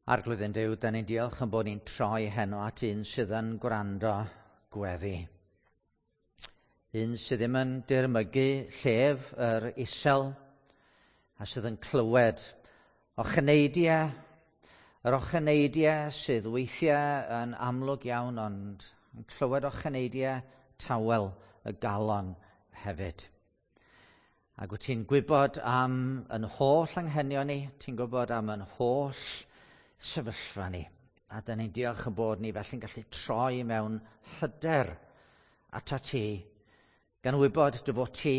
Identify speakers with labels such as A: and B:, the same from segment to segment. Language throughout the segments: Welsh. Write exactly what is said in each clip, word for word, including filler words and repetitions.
A: Arglwydd ein Duw, da ni'n diolch yn bod ni'n troi heno at un sydd yn gwrando gweddi. Un sydd ddim yn dirmygu llef yr isel a sydd yn clywed ocheneidiau, yr ocheneidiau sydd weithiau yn amlwg iawn ond yn clywed ocheneidiau tawel y galon hefyd. Ac wyt ti'n gwybod am yn holl anghenion ni, ti'n gwybod am yn holl sefyllfa ni. A da ni'n diolch yn bod ni felly'n gallu troi mewn hyder ata ti, gan wybod dy fod ti,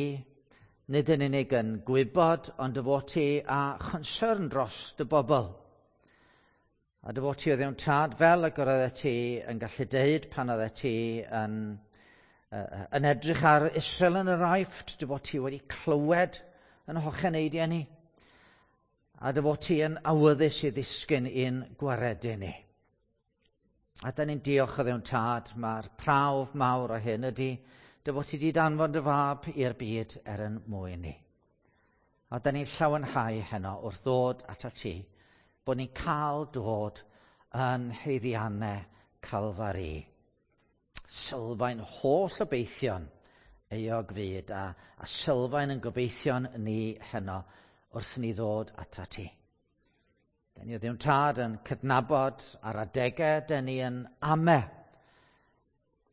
A: nid yn unig yn gwybod, ond dy fod ti â chonsern dros dy bobl. A dy fod ti o Dduw'n Tad fel y oeddet ti yn gallu deud pan oeddet ti yn, uh, yn edrych ar Israel yn yr Aifft, dy fod ti wedi clywed yn hocheneidiau ni, a dy fod ti yn awyddus i ddisgyn i'n gwaredu ni. A da ni'n diolch o Dduw'n Tad, mae'r prawf mawr o hyn ydy dy fod ti wedi danfon dy fab i'r byd er yn mwyn ni. A da ni'n llawenhau heno wrth ddod ata ti, bod ni'n cael dod yn haeddiannau Calfari. Sylfaen holl obeithion euog fyd a, a sylfaen yn gobeithion ni heno wrth ni ddod ata ti. Da ni o Dduw'n Tad yn cydnabod ar adegau, da ni yn ame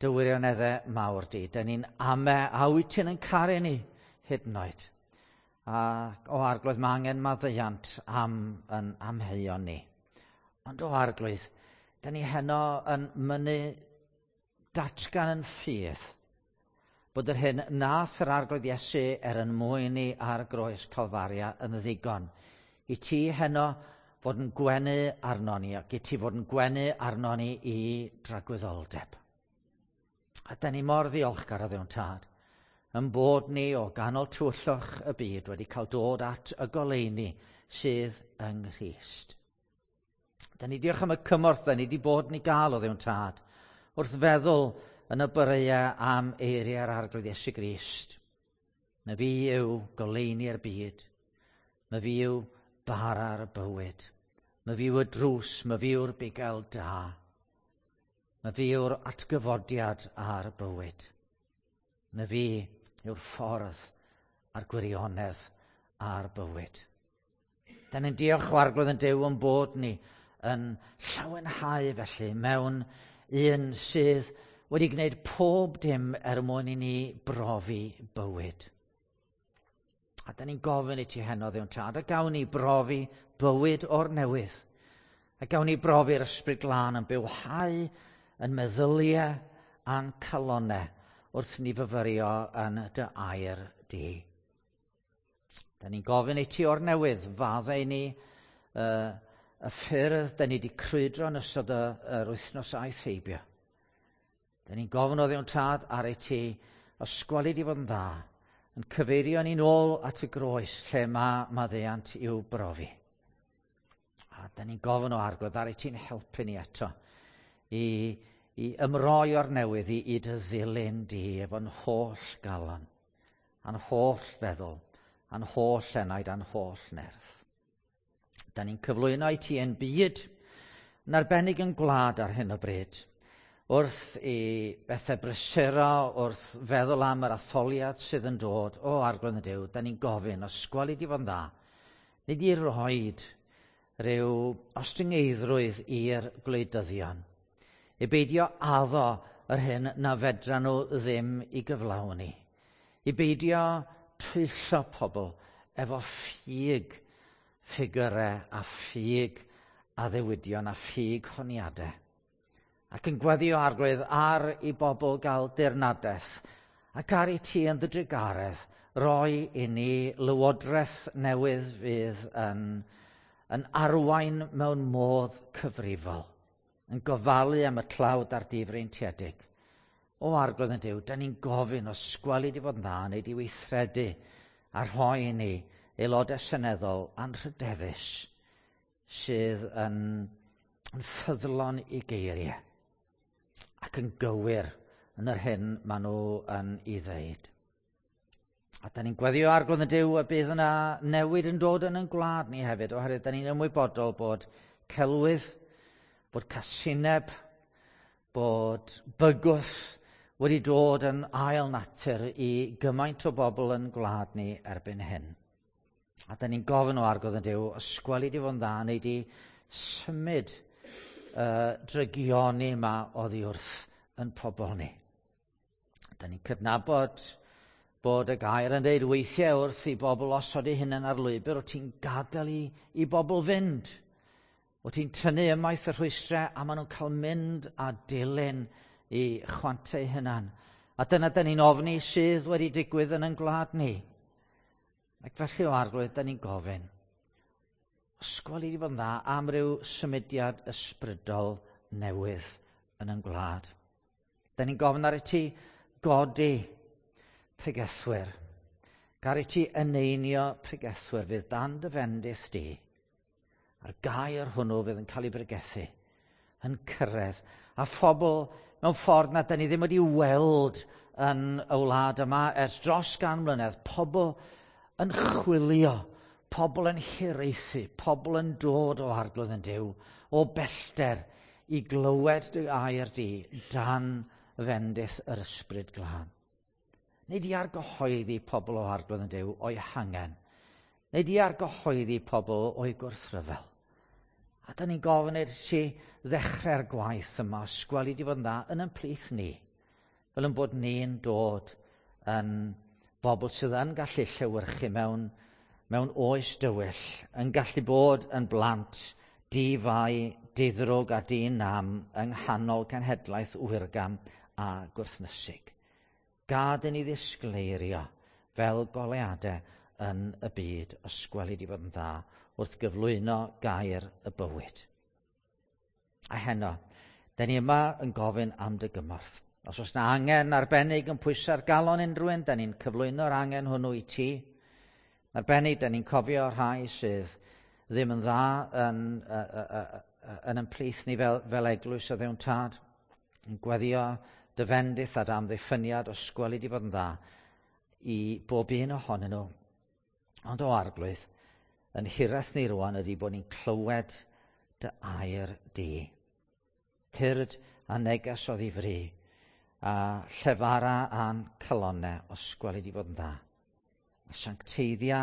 A: dy wirioneddau mawr di. Da ni'n ame a wyt ti'n yn caru ni hyd yn oed. A o Arglwydd, mae angen maddeuant am yn amheuon ni. Ond o Arglwydd, da ni heno yn mynnu datgan yn ffydd bod yr hyn nath yr Arglwydd Iesu er yn mwyn ni ar groes Calfaria yn ddigon. I ti heno fod yn gwenu arno ni ac i ti fod yn gwenu arno ni i dragwyddoldeb. A da ni mor ddiolchgar o Dduw'n Tad, yn bod ni o ganol tywyllwch y byd wedi cael dod at y goleuni sydd yng Nghrist. Da ni diolch am y cymorth da ni wedi bod ni gael o Dduw'n Tad, wrth feddwl yn y boreau am eiriau'r Arglwydd Iesu Grist. Na fi yw goleuni'r byd. Na fi yw bara'r bywyd. Na fi yw y drws, na fi yw'r bugail da. Na fi yw'r atgyfodiad a'r bywyd. Na fi yw'r ffordd a'r gwirionedd a'r bywyd. Da ni'n diolch o Arglwydd yn Duw yn bod ni yn llawenhau felly mewn un sydd wedi gwneud pob dim er mwyn i ni brofi bywyd. A da ni'n gofyn i ti heno, Dduw'n Tad, a gawn ni brofi bywyd o'r newydd. A gawn ni brofi'r Ysbryd Glân yn bywhau yn meddyliau a'n calonau wrth ni fyfyrio yn dy air di. Da ni'n gofyn i ti o'r newydd, faddau ni uh, y ffyrdd da ni wedi crwydro yn ystod y, yr wythnos aeth heibio. Da ni'n gofyn o Dduw'n Tad ar ei ti, ysgweli di fod yn dda, yn cyfeirio ni'n ôl at y groes lle mae maddeuant i'w brofi. A da ni'n gofyn o Arglwydd ar ei ti'n helpu ni eto i, i ymroi o'r newydd i, i dy ddilyn di efo'n holl galon, a'n holl feddwl, a'n holl enaid, a'n holl nerth. Da ni'n cyflwyno i ti yn byd, yn arbennig yn gwlad ar hyn o bryd, wrth i bethau brysuro, wrth feddwl am yr atholiad sydd yn dod, o Arglwydd y Duw, da ni'n gofyn, ysgweli di fod yn dda, nid i roed rhyw ostyngeiddrwydd i'r gwleidyddion, i beidio addo yr hyn na fedra nhw ddim i gyflawni, i beidio twyllo pobl efo ffug ffigurau a ffug addewidion a ffug honiadau. Ac yn gweddio Arglwydd ar i bobl gael dirnadaeth ac ar i ti yn dy drugaredd roi i ni lywodraeth newydd fydd yn, yn arwain mewn modd cyfrifol, yn gofalu am y tlawd a'r difreintiedig. O Arglwydd yn Duw, da ni'n gofyn o sgweli di fod yn dda neu di weithredu a rhoi i ni aelodau seneddol anrhydeddus sydd yn, yn ffyddlon i geiriau ac yn gywir yn yr hyn maen nhw yn ei ddeud. A da ni'n gweddio Arglwydd y Duw y bydd yna newid yn dod yn ein gwlad ni hefyd, oherwydd da ni'n ymwybodol bod celwydd, bod casineb, bod bygwth wedi dod yn ail natur i gymaint o bobl yn gwlad ni erbyn hyn. A da ni'n gofyn o Arglwydd yn Duw, ysgweli di fod yn dda, neu di symud uh, drygioni yma oddi wrth yn pobl ni. Da ni'n cydnabod bod y gair yn dweud weithiau wrth i bobl osod eu hunain ar lwybr, o ti'n gadael i, i bobl fynd. O ti'n tynnu ymaith y rhwystrau a maen nhw'n cael mynd a dilyn i chwantau hunan. A dyna da ni'n ofni sydd wedi digwydd yn ein gwlad ni. Ac felly o Arglwydd, da ni'n gofyn, ysgol i fod yn dda am ryw symudiad ysbrydol newydd yn ein gwlad. Da ni'n gofyn ar i ti godi pregethwyr. Gar i ti eneinio pregethwyr fydd dan dy fendith di. A'r gair hwnnw fydd yn cael ei bregethu, yn cyrraedd. A phobl mewn ffordd na da ni ddim wedi weld yn y wlad yma ers dros gan mlynedd, pobl yn chwilio, pobl yn hiraethu, pobl yn dod o Arglwydd yn Duw, o bellter i glywed dy air di dan fendith yr Ysbryd Glân. Neu di argyhoeddi pobl o Arglwydd yn Duw o'i hangen. Neu di argyhoeddi pobl o'i gwrthryfel. A da ni'n gofyn i'r ti ddechrau'r gwaith yma, sgweli di fod yn dda yn ein plith ni, fel yn bod ni'n dod yn bobl sydd yn gallu llewyrchu mewn, mewn oes dywyll, yn gallu bod yn blant di-fai, diddrwg a di-nam yng nghanol cenhedlaeth wyrgam a gwrthnysig. Gad i ni ddisgleirio fel goleuadau yn y byd, ysgweli di fod yn dda wrth gyflwyno gair y bywyd. A heno, da ni yma yn gofyn am dy gymorth. Os oes na angen arbennig yn pwyso'r galon unrhyw un, da ni'n cyflwyno'r angen hwnnw i ti. Arbennig, da ni'n cofio rhai sydd ddim yn dda yn, uh, uh, uh, yn yn plith ni fel, fel eglwys o Dduw'n Tad. Yn gweddio dy fendith a dy amddiffyniad o sgweli di fod yn dda i bob un ohonyn nhw. Ond o Arglwydd, yn hiraeth ni rwan ydy bod ni'n clywed dy air di. Tyrd a neges o ddifri, a llefara a'n calonnau os gweli di fod yn dda. A sancteiddia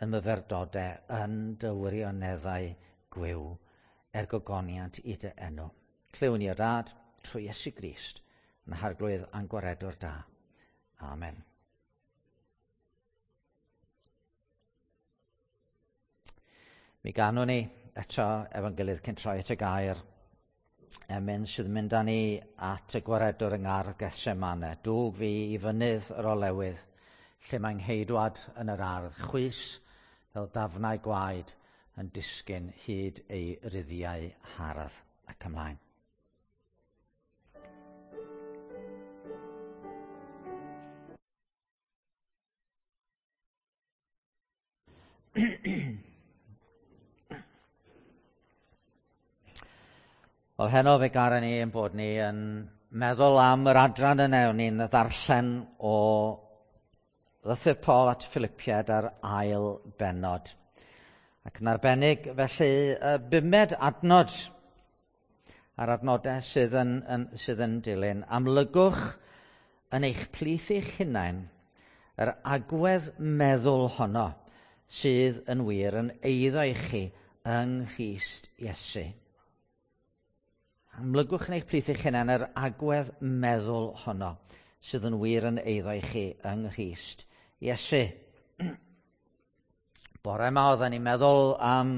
A: yn myfyrdodau yn dy wirioneddau gwiw er gogoniant i dy enw. Clywn ni o Dad trwy Iesu Grist yn Harglwydd a'n Gwaredwr da. Amen. Mi ganwn ni eto efo'n gilydd cyn troi at y gair emyn sydd yn mynd â ni at y Gwaredwr yng Ngardd Gethsemane. Dwg fi i fynydd yr olewydd, lle mae'n ngheidwad yn yr ardd, chwys fel dafnau gwaed yn disgyn hyd ei ruddiau hardd. Ac ymlaen. Wel, heno fe garen ni ein bod ni yn meddwl am yr adran yna, o'n ni'n ddarllen o lythyr Paul at Philippiaid ar ail bennod. Ac yn arbennig, felly, y bumed adnod a'r adnodau sydd yn, yn, sydd yn dilyn. Amlygwch yn eich plith eich hunain yr agwedd meddwl honno sydd yn wir yn eiddo i chi yng Nghrist Iesu. Amlygwch yn eich plith eich hunain yr agwedd meddwl honno sydd yn wir yn eiddo i chi yng Nghrist Iesu. Bore yma oedden ni'n meddwl am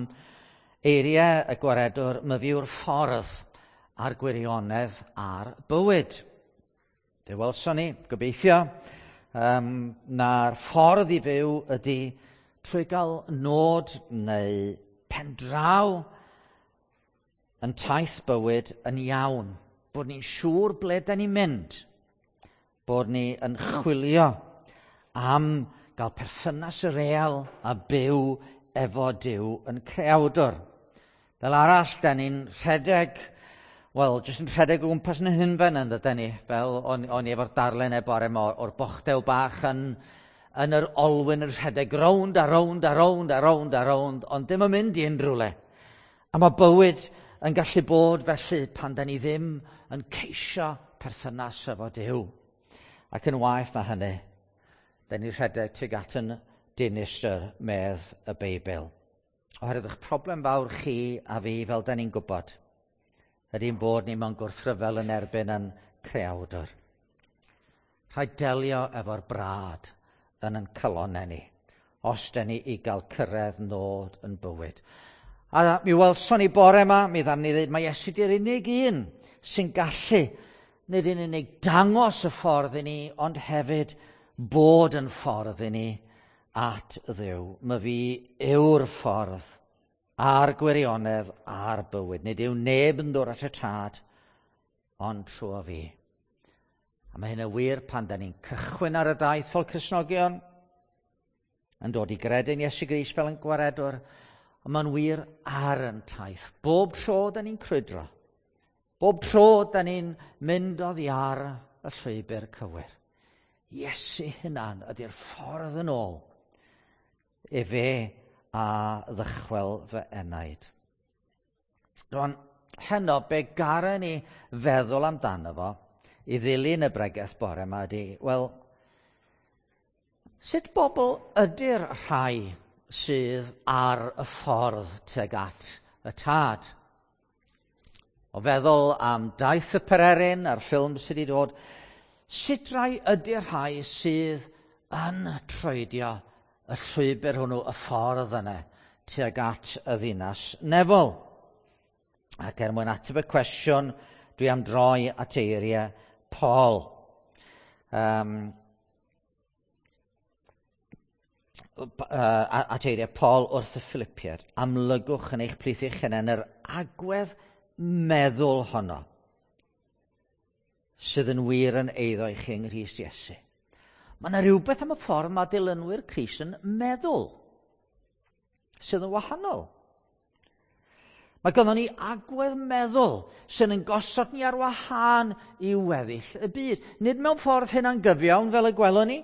A: eiriau y Gwaredwr, myfyw'r ffordd a'r gwirionedd a'r bywyd. Fe welson ni, gobeithio, um, na'r ffordd i fyw ydy trwy gael nod neu pendraw yn taith bywyd yn iawn. Bod ni'n siŵr ble da ni'n mynd. Bod ni yn chwilio am gael perthynas real a byw efo Duw yn creawdwr. Fel arall, da ni'n rhedeg, wel, jyst yn rhedeg o gwmpas yn hunfen yn dydyn ni, fel o'n, o'n i efo'r darlun e bore yma o'r bochdew bach yn, yn yr olwyn yn rhedeg rownd a rownd a rownd a rownd a rownd, ond dim yn mynd i unrhyw le. A mae bywyd yn gallu bod felly pan da ni ddim yn ceisio perthynas efo Duw. Ac yn waeth na hynny, da ni'n rhedeg tuag at yn dinistr, medd y Beibl. Oherwydd eich problem fawr chi a fi, fel da ni'n gwybod, ydy'n bod ni mewn gwrthryfel yn erbyn yn creawdwr. Rhaid delio efo'r brad yn yn calonnau ni, os da ni i gael cyrraedd nod yn bywyd. A mi welson ni bore yma, mi ddaru ni ddweud, mae Iesu di'r unig un sy'n gallu nid yn unig dangos y ffordd i ni, ond hefyd bod yn ffordd i ni at Dduw. Mae fi yw'r ffordd a'r gwirionedd a'r bywyd. Nid yw neb yn dod at y Tad, ond trwy fi. A mae hyn yn wir pan da ni'n cychwyn ar y daith fel Cristnogion, yn dod i gredu'n Iesu Grist fel yn gwaredwr, ond mae'n wir ar yn taith. Bob tro da ni'n crwydro, bob tro da ni'n mynd oddi ar y llwybr cywir. Iesu hunan ydy'r ffordd yn ôl. Efe a ddychwel fy enaid. Rwan, heno, be garen ni feddwl amdano fo i ddilyn y bregeth bore yma ydy, wel, sut bobl ydy'r rhai sydd ar y ffordd tuag at y Tad? O feddwl am Daith y Pererin a'r ffilm sydd wedi dod, sut rai ydy'r rhai sydd yn troedio y llwybr hwnnw, y ffordd yna, tuag at y ddinas nefol? Ac er mwyn ateb y cwestiwn, dwi am droi at eiriau Paul. Um, at eiriau Paul wrth y Philippiaid. Amlygwch yn eich plith eich hunain yr agwedd meddwl honno sydd yn wir yn eiddo i chi yng Nghrist Iesu. Mae yna rhywbeth am y ffordd mae dilynwyr Crist yn meddwl sydd yn wahanol. Mae gynnon ni agwedd meddwl sy'n yn gosod ni ar wahân i weddill y byd. Nid mewn ffordd hunangyfiawn fel y gwelwn ni.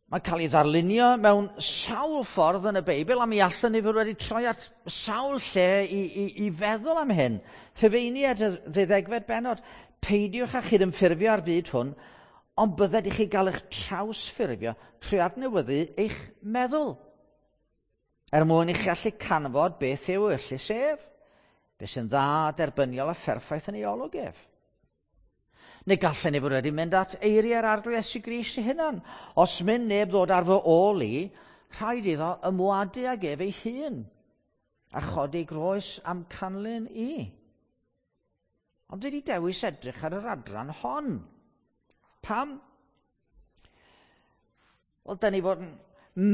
A: Mae'n cael ei ddarlunio mewn sawl ffordd yn y Beibl, a mi allwn ni fod wedi troi at sawl lle i, i, i feddwl am hyn. Rhufeiniaid y ddeuddegfed bennod, peidiwch â chydymffurfio â'r byd hwn, ond bydded i chi gael eich trawsffurfio trwy adnewyddu eich meddwl, er mwyn i chi allu canfod beth yw ewyllys ef, beth sy'n dda, derbyniol a pherffaith yn ei olwg ef. Neu gallen ni fod wedi mynd at eiriau'r Arglwydd Iesu Grist ei hunan. Os mynd neb ddod ar fy ôl i, rhaid iddo ymwadu ag ef ei hun, a chodi groes am canlyn i. Ond dwi wedi dewis edrych ar yr adran hon. Pam? Wel, da ni fod yn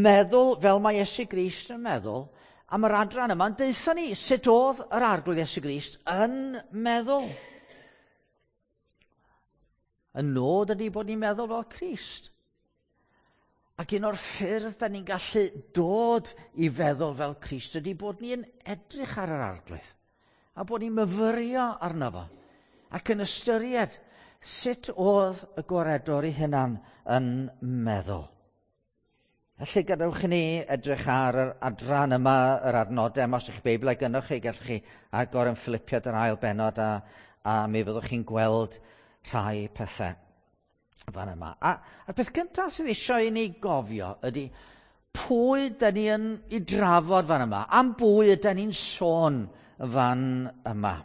A: meddwl fel mae Iesu Grist yn meddwl, am yr adran yma'n deutha ni sut oedd yr Arglwydd Iesu Grist yn meddwl. Y nod ydy bod ni'n meddwl fel Crist. Ac un o'r ffyrdd da ni'n gallu dod i feddwl fel Crist ydy bod ni'n edrych ar yr Arglwydd a bod ni'n myfyrio arno fo ac yn ystyried sut oedd y gwaredwr ei hunan yn meddwl. Felly gadewch i ni edrych ar yr adran yma, yr adnodau yma. Os ydych chi Beibl gynnwch chi, gallwch chi agor yn Philippiaid yr ail bennod a, a mi fyddwch chi'n gweld rhai pethau fan yma. A, a'r peth cyntaf sydd eisiau i ni gofio ydy pwy da ni yn ei drafod fan yma, am bwy ydy ni'n sôn fan yma.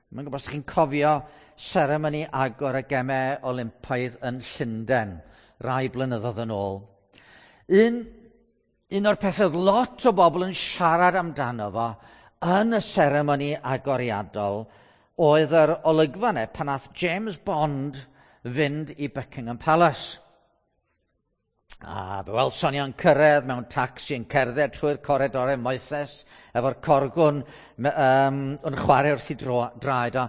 A: Mae'n gwybod os chi'n cofio seremoni agor y Gemau Olympaidd yn Llundain rai blynyddoedd yn ôl. Un, un o'r pethau oedd lot o bobl yn siarad amdano fo yn y seremoni agoriadol oedd yr olygfa yna pan nath James Bond fynd i Buckingham Palace. A fe welson ni o'n cyrraedd mewn tacsi yn cerdded trwy'r coridorau moethus efo'r corgwn um, yn chwarae wrth i dro, draed o,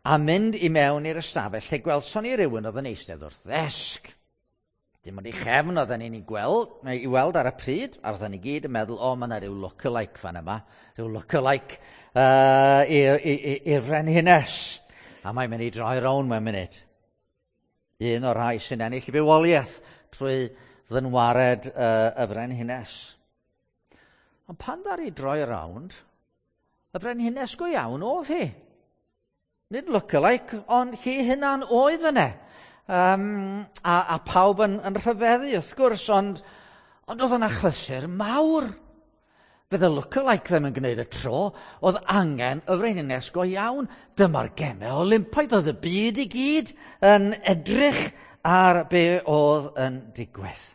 A: a mynd i mewn i'r ystafell lle gwelson ni rywun oedd yn eistedd wrth ddesg. Dim ond i chefn oedden ni'n ei gweld, neu i weld ar y pryd, a oedden ni gyd yn meddwl, o, mae yna rhyw look-alike fan yma, rhyw look-alike uh, i'r frenhines. A mae'n mynd i droi rown mewn munud. Un o'r rhai sy'n ennill i bywoliaeth trwy ddynwared uh, y frenhines. Ond pan ddaru droi rownd, y frenhines go iawn oedd hi. Nid look-alike, ond hi hunan oedd yna. Um, a, a pawb yn, yn rhyfeddu, wrth gwrs, ond, ond oedd yna achlysur mawr. Fydd y look-alike ddim yn gwneud y tro, oedd angen y frenhines go iawn. Dyma'r gemau Olympaidd, oedd y byd i gyd yn edrych ar be oedd yn digwydd.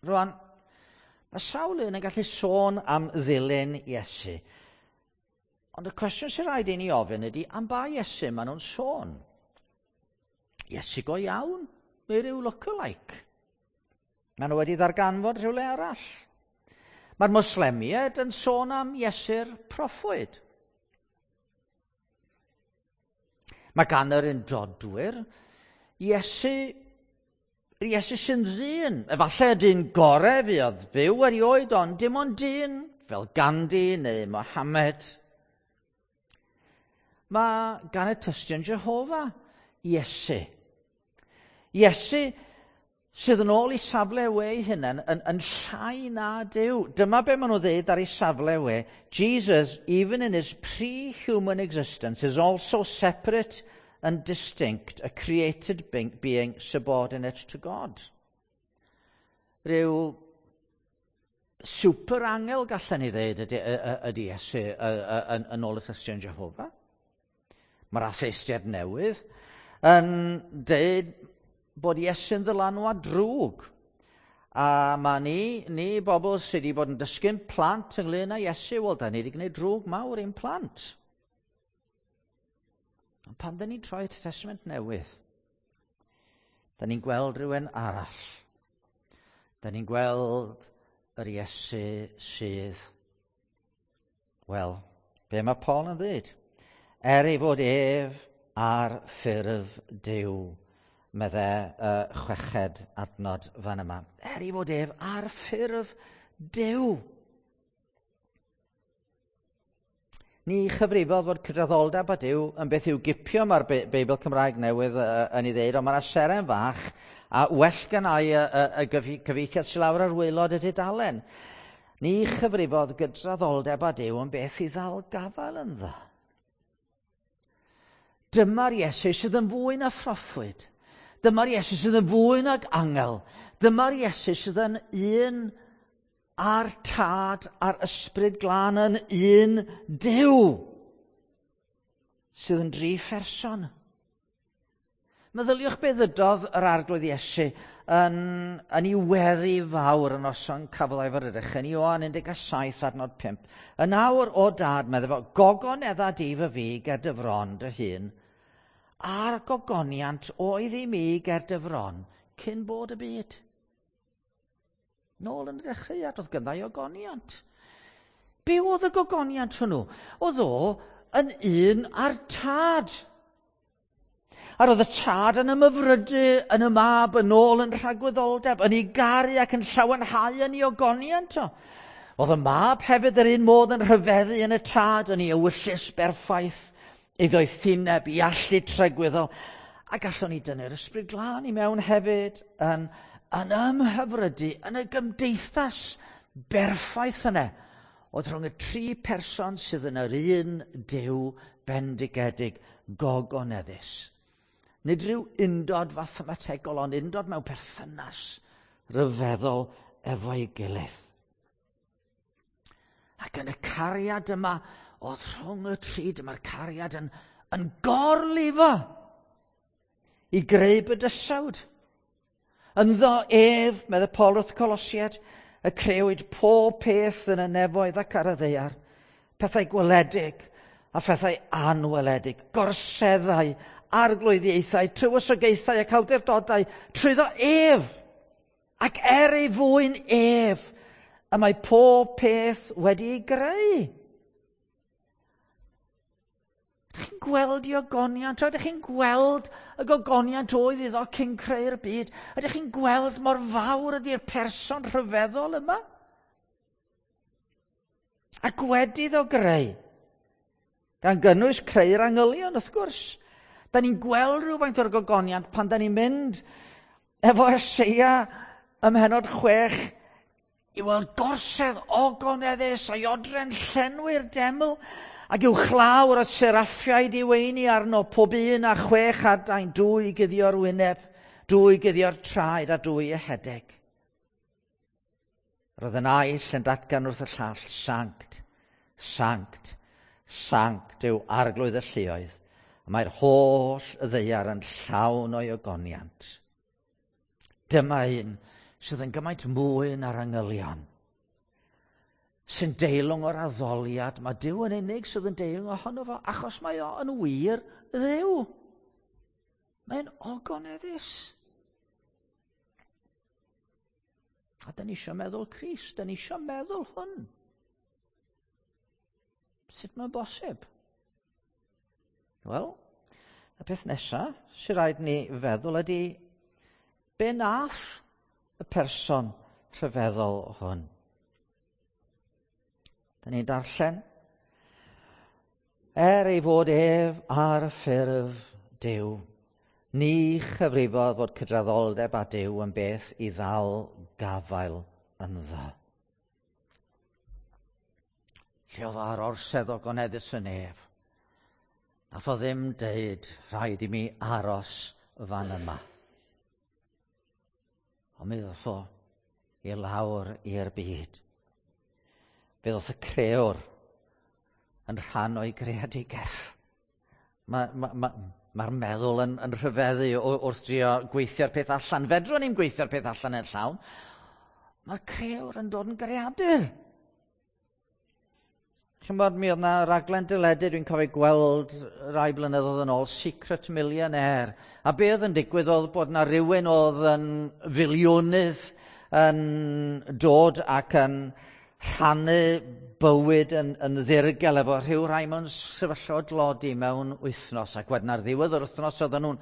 A: Rwan, mae sawl un yn gallu sôn am ddilyn Iesu. Ond y cwestiwn sy'n rhaid i ni ofyn ydy, am ba Iesu maen nhw'n sôn? Iesu go iawn, neu ryw look-alike? Maen nhw wedi ddarganfod rhywle arall. Mae'r Moslemiaid yn sôn am Iesu'r proffwyd. Mae gan yr undodwyr Iesu, Iesu sy'n ddyn. Efallai dyn gorau fuodd fyw erioed, ond dim ond dyn, fel Gandhi neu Mohammed. Mae gan y tystion Jehofa Iesu. Iesu sydd yn ôl i safle we ei hunain yn, yn llai na Duw. Dyma be maen nhw ddeud ar ei safle we. Jesus, even in his pre-human existence, is also separate and distinct, a created being subordinate to God. Rhyw super angel gallen ni ddeud ydy, ydy Iesu yn, yn ôl y tystion Jehofa. Mae'r atheistiaid newydd yn deud bod Iesu'n ddylanwad drwg. A mae ni, ni bobl sydd wedi bod yn dysgu'n plant ynglyn â Iesu, wel, da ni wedi gwneud drwg mawr i'n plant. Ond pan da ni'n troi at y Testament Newydd, da ni'n gweld rhywun arall. Da ni'n gweld yr Iesu sydd, wel, be mae Paul yn ddweud? Er ei fod ef ar ffurf Duw, medde uh, chweched adnod fan yma. Er ei fod ef ar ffurf Duw. Ni chyfrifodd fod cydraddoldeb â Duw yn beth i'w gipio, mae'r Beibl Cymraeg newydd uh, yn ei ddeud, ond mae'na seren fach a well gennau y, y, y gyfieithiad sydd lawr ar waelod y dudalen. Ni chyfrifodd gydraddoldeb â Duw yn beth i ddal gafael ynddo. Dyma'r Iesu sydd yn fwy na phroffwyd. Dyma'r Iesu sydd yn fwy nag angel. Dyma'r Iesu sydd yn un a'r Tad a'r Ysbryd Glân yn un Duw, sydd yn dri pherson. Meddyliwch be ddydodd yr Arglwydd Iesu yn, yn ei weddi fawr yn noson cafodd ei fyrddych yn Ioan un deg saith adnod pump. Yn awr o Dad, medde fo, gogonedda di fy fi ger dy fron dy hun, a'r gogoniant oedd i mi ger dy fron cyn bod y byd. Nôl yn y dechreuad, oedd ganddo ogoniant. Be oedd y gogoniant hwnnw? Oedd o yn un â'r Tad. A roedd y Tad yn ymhyfrydu yn y Mab yn ôl yn rhagwyddoldeb, yn ei garu ac yn llawenhau yn ei ogoniant o. Oedd y Mab hefyd yr un modd yn rhyfeddu yn y Tad, yn ei ewyllys berffaith, ei ddoethineb, ei allu tragwyddol. A gallwn ni dynnu'r Ysbryd Glân i mewn hefyd yn, yn ymhyfrydu yn y gymdeithas berffaith yna oedd rhwng y tri person sydd yn yr un Duw bendigedig gogoneddus. Nid rhyw undod fathemategol, ond undod mewn perthynas ryfeddol efo'i gilydd. Ac yn y cariad yma, oedd rhwng y tri, dyma'r cariad yn, yn gorlifo i greu bydysawd. Ynddo ef, medde Paul wrth Colosiaid, y crëwyd pob peth yn y nefoedd ac ar y ddaear, pethau gweledig a phethau anweledig, gorseddau, arglwyddiaethau, tywysogaethau ac awdurdodau, trwyddo ef, ac er ei fwyn ef, y mae pob peth wedi ei greu. Ydych chi'n gweld i ogoniant? Ydych chi'n gweld y gogoniant oedd iddo cyn creu'r byd? Ydych chi'n gweld mor fawr ydy'r person rhyfeddol yma? Ac wedi iddo greu, gan gynnwys creu'r angylion, wrth gwrs. Da ni'n gweld rhywfaint o'r gogoniant pan da ni'n mynd efo Eseia ym mhennod chwech I weld gorsedd ogoneddus a'i odre'n llenwi'r deml, ac uwchlaw yr oedd seraffiaid i weini arno, pob un a chwech adain, dwy i guddio'r wyneb, dwy i guddio'r traed a dwy i ehedeg. Roedd y naill yn datgan wrth y llall, sanct, sanct, sanct yw arglwydd y lluoedd, a mae'r holl ddaear yn llawn o'i ogoniant. Dyma un sydd yn gymaint mwy na'r angylion, sy'n deilwng o'r addoliad. Mae Duw yn unig sydd yn deilwng ohono fo, achos mae o yn wir Dduw. Mae'n ogoneddus. A da ni eisiau meddwl Crist, da ni eisiau meddwl hwn. Sut mae'n bosib? Wel, y peth nesaf sy'n rhaid ni feddwl ydy, be nath y person rhyfeddol hwn? Da ni'n darllen, er ei fod ef ar y ffurf Duw, ni chyfrifodd fod cydraddoldeb â Duw yn beth i ddal gafael ynddo. Lle oedd ar orsedd ogoneddus y nef, nath o ddim deud, rhaid i mi aros fan yma. Ond mi ddoth o i lawr i'r byd. Fe ddoth y crëwr yn rhan o'i greadigaeth. Mae'r ma, ma, ma meddwl yn, yn rhyfeddu wrth drio gweithio'r peth allan. Fedrwn ni'n gweithio'r peth allan yn llawn. Mae'r crëwr yn dod yn greadur. Chi'mod, mi oedd 'na raglen deledu dwi'n cofio gweld rai blynyddoedd yn ôl, Secret Millionaire. A be oedd yn digwydd oedd bod 'na rywun oedd yn filiwnydd yn dod ac yn rhannu bywyd yn, yn ddirgel efo rhyw rai mewn sefyllfa o dlodi mewn wythnos. Ac wedyn ar ddiwedd yr wythnos oedden nhw'n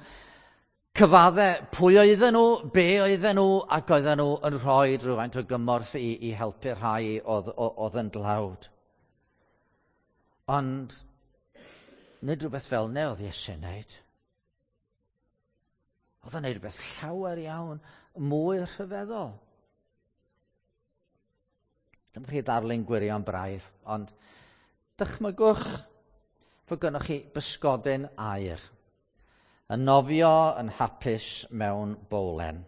A: cyfadde pwy oedden nhw, be oedden nhw, ac oedden nhw yn rhoi rhywfaint o gymorth i, i helpu rhai oedd, oedd yn dlawd. Ond nid rhywbeth fel 'na oedd Iesu'n wneud. Oedd o'n wneud rhywbeth llawer iawn mwy rhyfeddol. Dyma chi ddarlun gwirion braidd, ond dychmygwch fod gynnoch chi bysgodyn aur yn nofio yn hapus mewn bowlen.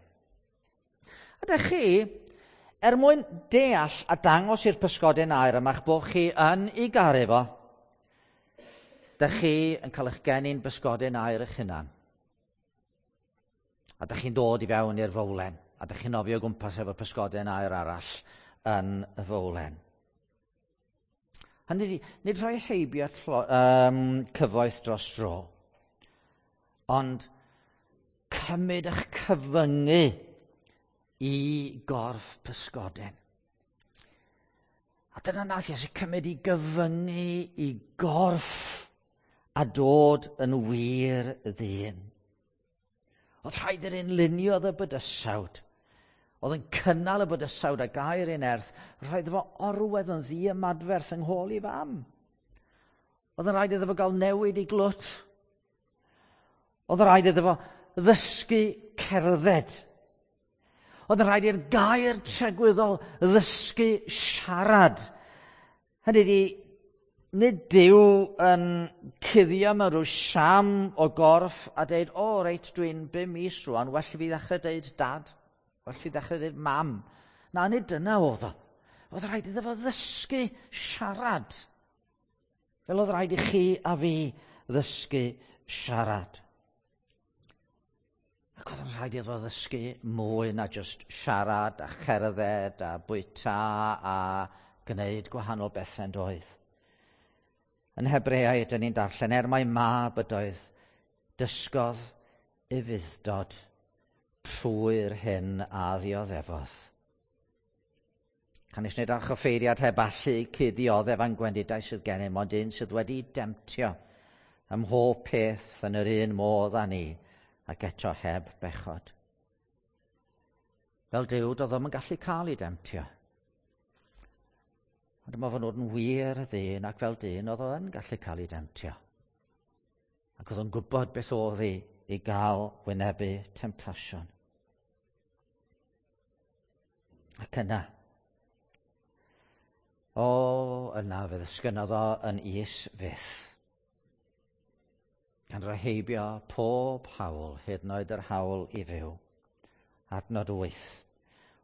A: A dych chi, er mwyn deall a dangos i'r pysgodyn aur yma eich bod chi yn ei garu fo, dych chi yn cael eich geni'n bysgodyn aur eich hunan. A dych chi'n dod i fewn i'r fowlen, a dych chi'n nofio o gwmpas efo pysgodyn aur arall yn y fowlen. Hynny ydi, nid rhoi heibio tlo, um, cyfoeth dros dro, ond cymryd eich cyfyngu i gorff pysgodyn. A dyna nath Iesu cymryd i gyfyngu i gorff a dod yn wir ddyn. Oedd rhaid i'r un luniodd y bydysawd, oedd yn cynnal y bydysawd a gair ei nerth, rhaid iddo fo orwedd yn ddiymadferth yng nghôl ei fam. Oedd yn rhaid iddo fo gael newid i glwt. Oedd yn rhaid iddo fo ddysgu cerdded. Oedd yn rhaid i'r gair tragwyddol ddysgu siarad. Hynny ydi, nid Duw yn cuddio mewn rhyw siam o gorff a deud, o reit, dwi'n bum mis rwan, well i fi ddechrau deud dad, well i fi ddechrau deud mam. Na, nid dyna oedd o. Oedd rhaid iddo fo ddysgu siarad. Fel oedd rhaid i chi a fi ddysgu siarad. Ac oedd yn rhaid iddo fo ddysgu mwy na just siarad a cherdded a bwyta a gwneud gwahanol bethau yn doedd. Yn Hebreaid, dyn ni'n darllen, er mai mab ydoedd, dysgodd ufudd-dod trwy'r hyn a ddioddefodd. Canys nid archoffeiriad heb allu cuddioddef a'n gwendidau sydd gennym, ond un sydd wedi demtio ym mhob peth yn yr un modd â ni, ac eto heb bechod. Fel Duw, doedd o'm yn gallu cael ei demtio. Ond dyma fo'n dod yn wir ddyn, ac fel dyn oedd o yn gallu cael ei demtio. Ac oedd o'n gwybod beth oedd hi i gael wynebu temtasiwn. Ac yna, O, yna fe ddisgynnodd o yn is fyth. Gan roi heibio pob hawl, hyd yn oed yr hawl i fyw. Adnod wyth.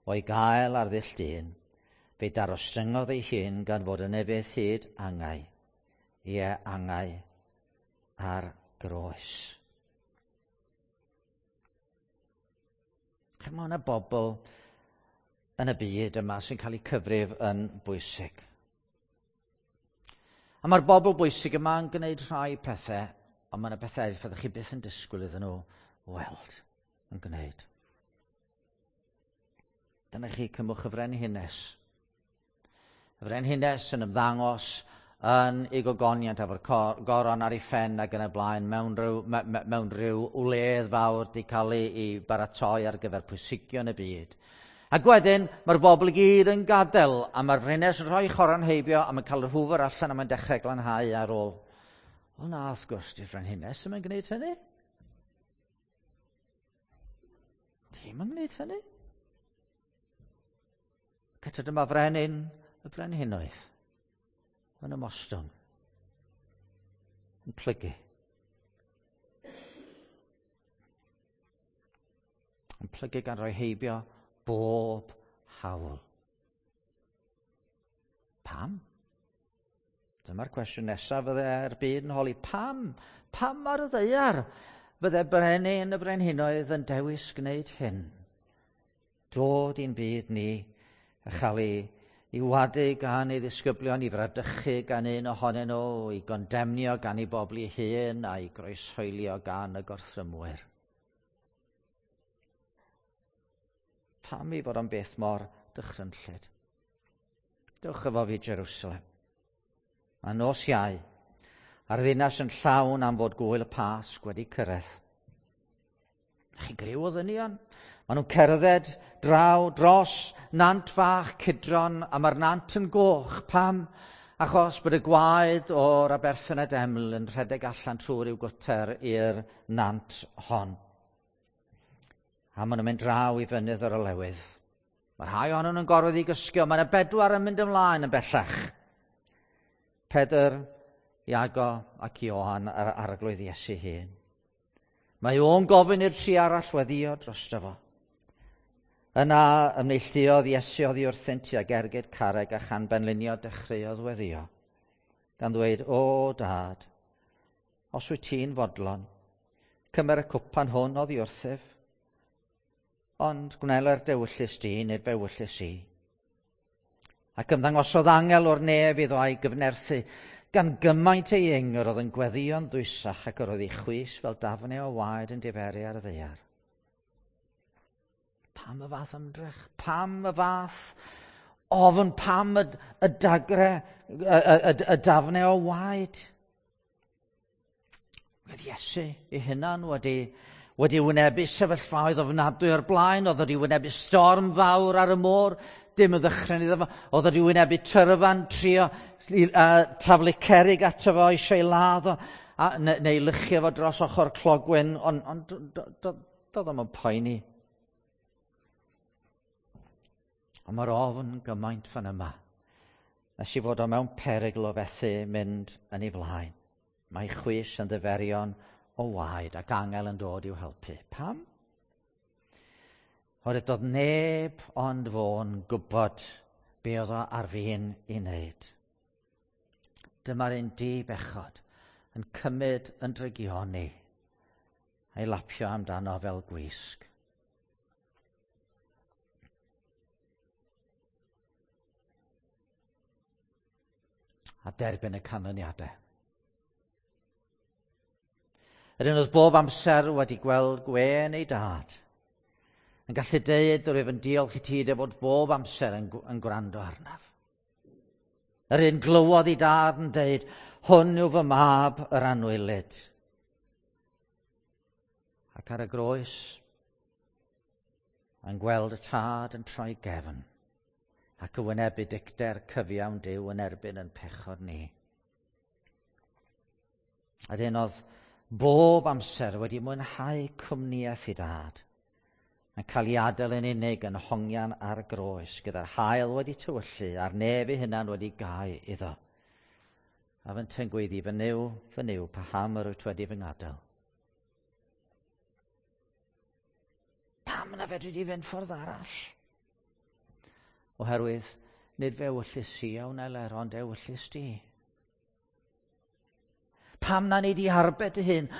A: O'i gael ar ddull dyn, fe darostyngodd ei hun gan fod yn efydd hyd angau. Ie, angau ar groes. Mae yna bobl yn y byd yma sy'n cael eu cyfrif yn bwysig. A mae'r bobl bwysig yma yn gwneud rhai pethau, ond mae yna bethau eraill fyddwch chi byth yn disgwyl iddyn nhw weld yn gwneud. Dyna chi cymwch y frenhines. Y frenhines yn ymddangos yn ei gogoniant efo'r goron ar ei phen ac yn y blaen mewn rhyw, me, me, mewn rhyw wledd fawr di cael ei, ei baratoi ar gyfer pwysigion y byd. Ac wedyn, mae'r bobl i gyd yn gadael, a mae'r frenhines yn rhoi choron heibio, a mae'n cael yr hwfr allan a mae'n dechrau glanhau ar ôl. O na, wrth gwrs, di'r frenhines ddim yn gwneud hynny. Dim yn gwneud hynny. Cyta dyma frenin y brenhinoedd yn ymostwng, yn plygu. Yn plygu gan roi heibio bob hawl. Pam? Dyma'r cwestiwn nesaf fydde'r byd yn holi. Pam? Pam ar y ddaear fydde brenin y brenhinoedd yn dewis gwneud hyn? Dod i'n byd ni a chael ei, ei wadu gan ei ddisgyblion, i fradychu gan un ohonyn nhw, i gondemnio gan ei bobl ei hun a'i groeshoelio gan y gorthrymwyr. Pam i fod o'n beth mor dychrynllyd? Dewch efo fi Jerusalem. Mae nos Iau, a'r ddinas yn llawn am fod gwyl y Pasg wedi cyrraedd. Chi'n griw o ddynion? Maen nhw'n cerdded draw dros nant fach Cydron, a mae'r nant yn goch. Pam? Achos bod y gwaed o'r aberth yn y deml yn rhedeg allan trwy ryw gwter i'r nant hon. A maen nhw'n mynd draw i fynydd yr olewydd. Mae rhai ohonyn nhw'n gorfod i gysgio. Mae yna bedwar yn mynd ymlaen yn bellach. Pedr, Iago ac Ioan a'r arglwydd Iesu hun. Mae o'n gofyn i'r tri arall weddio drosto fo. Yna ymneilltuodd Iesu oddi wrthynt tuag ergyd carreg a chan benlinio dechreuodd weddio, gan ddweud, o dad, os wyt ti'n fodlon, cymer y cwpan hwn oddi wrthyf, ond gwneler dewyllys di nid fewyllys i. Ac ymddangosodd angel o'r nef iddo a'i gyfnerthu, gan gymaint ei ing yr oedd yn gweddïo'n ddwysach ac yr oedd ei chwys fel dafnau o waed yn diferu ar y ddaear. Pam y fath ymdrech? Pam y fath ofn? Pam y, y dagre, y, y, y, y dafnau o waed? Roedd Iesu ei hunan wedi, wedi wynebu sefyllfaoedd ofnadwy o'r blaen, oedd wedi wynebu storm fawr ar y môr, dim yn ddychryn iddo fo, oedd wedi wynebu tyrfan, trio uh, taflu cerrig ato fo, eisiau ei ladd o, a, neu, neu lychio fo dros ochr clogwyn, ond on, doedd o'm yn poeni. Ond mae'r ofn gymaint fan yma, nes i fod o mewn perygl o fethu mynd yn ei flaen. Mae chwys yn ddiferion o waed ac angel yn dod i'w helpu. Pam? Oherwydd doedd neb ond fo'n gwybod be oedd o ar fin i wneud. Dyma'r un di-bechod yn cymryd yn drygioni a'i lapio amdano fel gwisg. A derbyn y canlyniadau. Yr un oedd bob amser wedi gweld gwên ei dad, yn gallu deud rwyf yn diolch i ti dy fod bob amser yn, yn gwrando arnaf. Yr un glywodd ei dad yn deud, hwn yw fy mab yr anwylyd. Ac ar y groes, yn gweld y tad yn troi gefn, ac y wynebu dicter cyfiawn Duw yn erbyn yn pechod ni. Yr un oedd bob amser wedi mwynhau cwmnïaeth i dad, Yn cael ei adael yn unig yn hongian ar y groes, gyda'r haul wedi tywyllu a'r nef ei hunan wedi gau iddo. A fynte'n gweiddi, fy Nuw, fy Nuw, paham yr wyt wedi fy ngadael? Pam na fedri di fynd ffordd arall? Oherwydd, nid fe ewyllys i a wneler, ond ewyllys di. Pam na nei di arbed dy hun?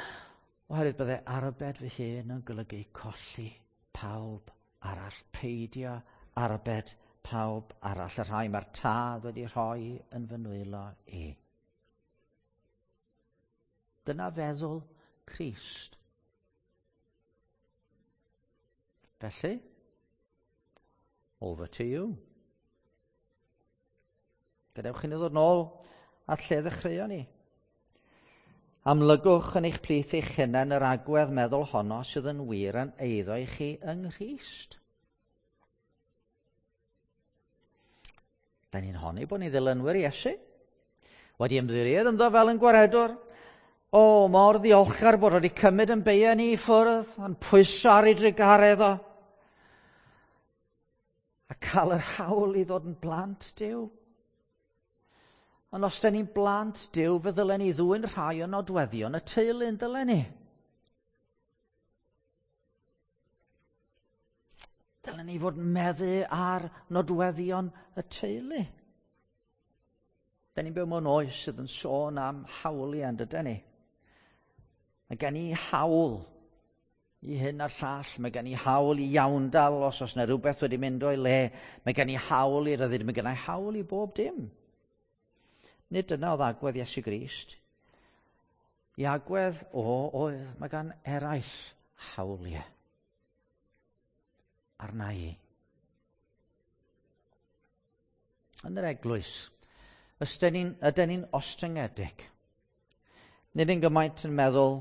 A: Oherwydd bydde arbed fy hun yn golygu colli pawb arall, peidio arbed pawb arall, y rhai mae'r Tad wedi rhoi yn fy nwylo i. Dyna feddwl Crist. Felly, over to you. Gadewch i ni ddod nôl at lle ddechreuon ni. Amlygwch yn eich plith eich hunain yr agwedd meddwl honno sydd yn wir yn eiddo i chi yng Nghrist. Da ni'n honni bod ni ddilynwyr Iesu. Wedi ymddiried ynddo fel yn gwaredwr. O, mor ddiolchgar bod wedi cymryd yn beia ni i ffwrdd, yn pwyso ar ei drugaredd o. A cael yr hawl i ddod yn blant Duw. Ond os da ni'n blant Duw, fe ddylen ni ddwyn rhai o nodweddion y teulu yn dylen ni. Dylen ni fod meddu ar nodweddion y teulu. Da ni'n byw mewn oes sydd yn sôn am hawliau, yn dydyn ni? Mae gen i hawl i hyn a'r llall. Mae gen i hawl i iawndal os oes yna rhywbeth wedi mynd o'i le. Mae gen i hawl i ryddid. Mae gen i hawl i bob dim. Nid dyna oedd agwedd Iesu Grist. I agwedd o oedd, mae gan eraill hawliau arna i. Yn yr eglwys, ydyn ni'n, ydyn ni'n ostyngedig. Nid yn gymaint yn meddwl,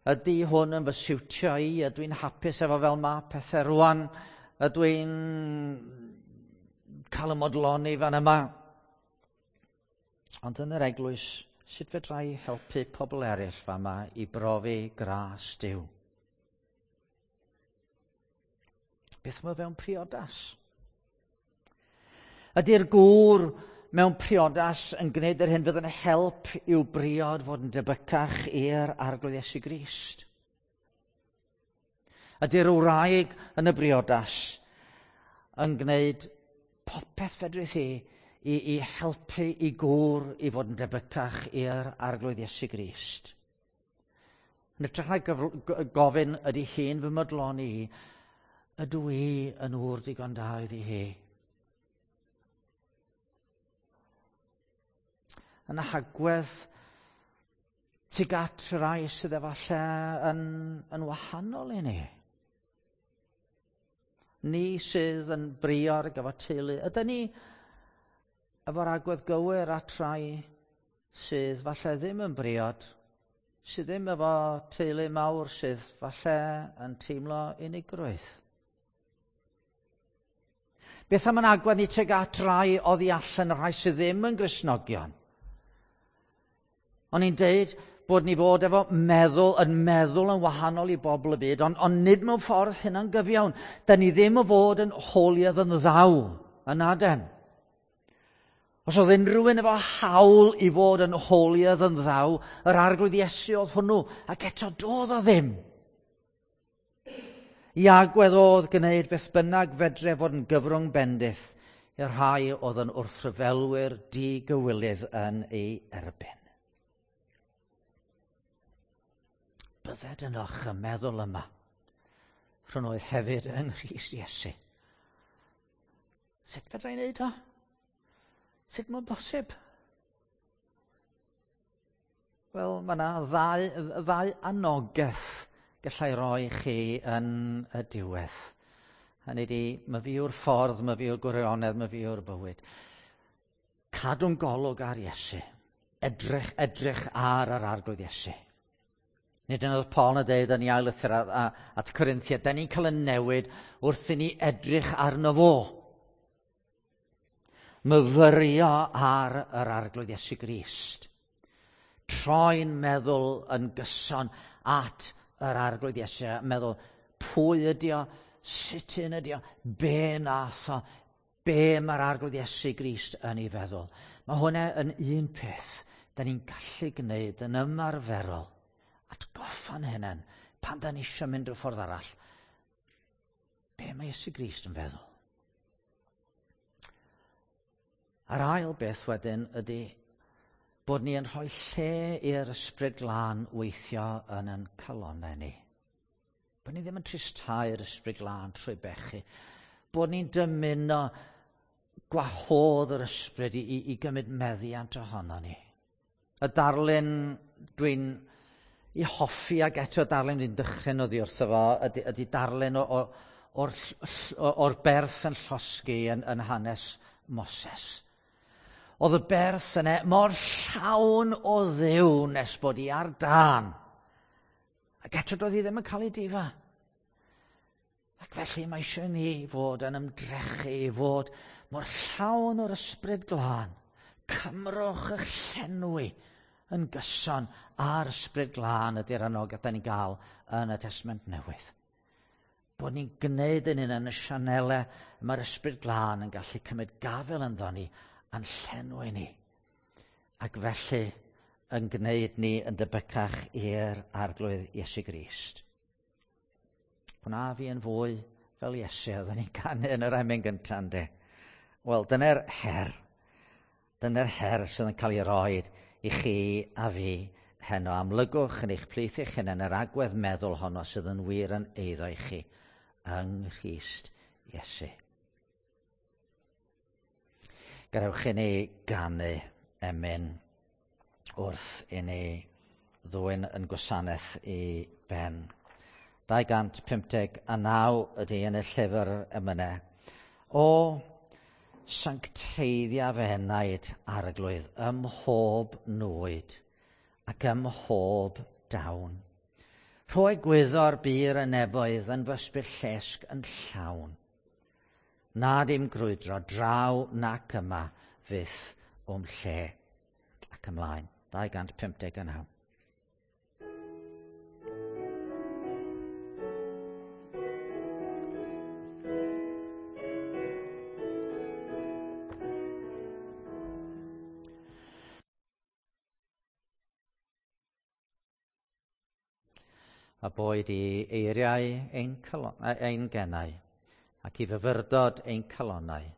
A: ydy hwn yn fy siwtio i, ydw i'n hapus efo fel ma pethau rwan, ydw i'n cael y modloni fan yma. Ond yn yr eglwys, sut fedra i helpu pobl eraill fama i brofi gras Duw? Beth mae fewn priodas? Ydy'r gŵr mewn priodas yn gwneud yr hyn fydd yn help i'w briod fod yn debycach i'r Arglwydd Iesu Grist? Ydy'r wraig yn y briodas yn gwneud popeth fedrith hi i, i helpu i gŵr i fod yn debycach i'r Arglwydd Iesu Grist? Yn hytrach na gofyn ydy hi'n fy modloni i, ydw i yn ŵr digon da iddi hi? Yn y hagwedd tuag at rai sydd efallai yn, yn wahanol i ni. Ni sydd yn briod ac efo teulu, ydyn ni efo'r agwedd gywir at rai sydd falle ddim yn briod, sydd ddim efo teulu mawr, sydd falle yn teimlo unigrwydd? Beth am yn agwedd ni tuag at rai oddi allan, y rhai sydd ddim yn Gristnogion? O'n i'n deud bod ni fod efo meddwl, yn meddwl yn wahanol i bobl y byd, ond, ond nid mewn ffordd hynna'n gyfiawn. Da ni ddim o fod yn holier than thou, yn aden. Os oedd unrhyw un efo hawl i fod yn holier than thou, yr Arglwydd Iesu oedd hwnnw, ac eto doedd o ddim. I agwedd oedd gwneud beth bynnag fedre fod yn gyfrwng bendith i'r rhai oedd yn wrthryfelwyr digywilydd yn ei erbyn. Bydded ynoch y meddwl yma, rhwng oedd hefyd yng Nghrist Iesu. Sut fedra i wneud o? Sut mae'n bosib? Wel, mae yna ddau, ddau anogaeth gallai roi chi yn y diwedd. Hynny ydi, myfi yw'r ffordd, myfi yw'r gwirionedd, myfi yw'r bywyd. Cadw'n golwg ar Iesu. Edrych, edrych ar yr Arglwydd Iesu. Nid yn oedd Paul yn dweud yn ei ail lythyr at Corinthiaid, da ni'n cael y newid wrth i ni edrych arno fo. Myfyrio ar yr Arglwydd Iesu Grist. Troi'n meddwl yn gyson at yr Arglwydd Iesu, meddwl pwy ydi o, Sut un ydi o? Be nath o? Be mae'r Arglwydd Iesu Grist yn ei feddwl? Mae hwnna yn un peth da ni'n gallu gwneud yn ymarferol. Atgoffa'n hunain pan da ni eisiau mynd rhyw ffordd arall. Be mae Iesu Grist yn feddwl? A'r ail beth wedyn ydy bod ni yn rhoi lle i'r Ysbryd Glân weithio yn ein calonnau ni. Bod ni ddim yn tristau'r Ysbryd Glân trwy bechu. Bod ni'n dymuno gwahodd yr Ysbryd i, i, i gymryd meddiant ohono ni. Y darlun dwi'n i hoffi ac eto darlun dwi'n dychryn oddi wrtho fo ydy, ydy darlun o, o, o'r, o'r berth yn llosgi yn, yn hanes Moses. Oedd y berth yna mor llawn o Dduw nes bod hi ar dân. Ac eto doedd hi ddim yn cael ei difa. Ac felly mae eisiau ni fod yn ymdrechu i fod mor llawn o'r Ysbryd Glân. Cymrwch eich llenwi yn gyson a'r Ysbryd Glân ydy'r anogaeth da ni'n gael yn y Testament Newydd. Bod ni'n gwneud yn un yn y sianelau mae'r Ysbryd Glân yn gallu cymryd gafel ynddo ni a'n llenwi ni. Ac felly yn gwneud ni yn debycach i'r Arglwydd Iesu Grist. Gwna fi yn fwy fel Iesu, oedden ni'n canu yn yr emyn gyntaf, yndê? Wel, dyna'r her. Dyna'r her sydd yn cael ei roed i chi a fi heno. Amlygwch yn eich plith eich hunain yr agwedd meddwl honno sydd yn wir yn eiddo i chi yng Nghrist Iesu. Gadewch i ni ganu emyn wrth i ni ddwyn yn gwasanaeth i ben. dau gant pump deg a naw ydy yn y llyfr emynau. O sancteiddia fy enaid, Arglwydd, ym mhob nwyd ac ym mhob dawn. Rhoi gwyddor bur y nefoedd yn fy ysbryd llesg yn llawn. Nad i'm grwydro draw nac yma fyth o'm lle. Ac ymlaen, dau gant pump deg naw. A boed i eiriau ein, calon, ein genau ac i fyfyrdod ein calonnau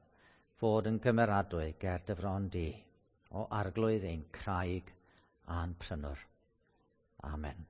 A: fod yn gymeradwy ger dy fron di, o Arglwydd ein craig a'n prynwr. Amen.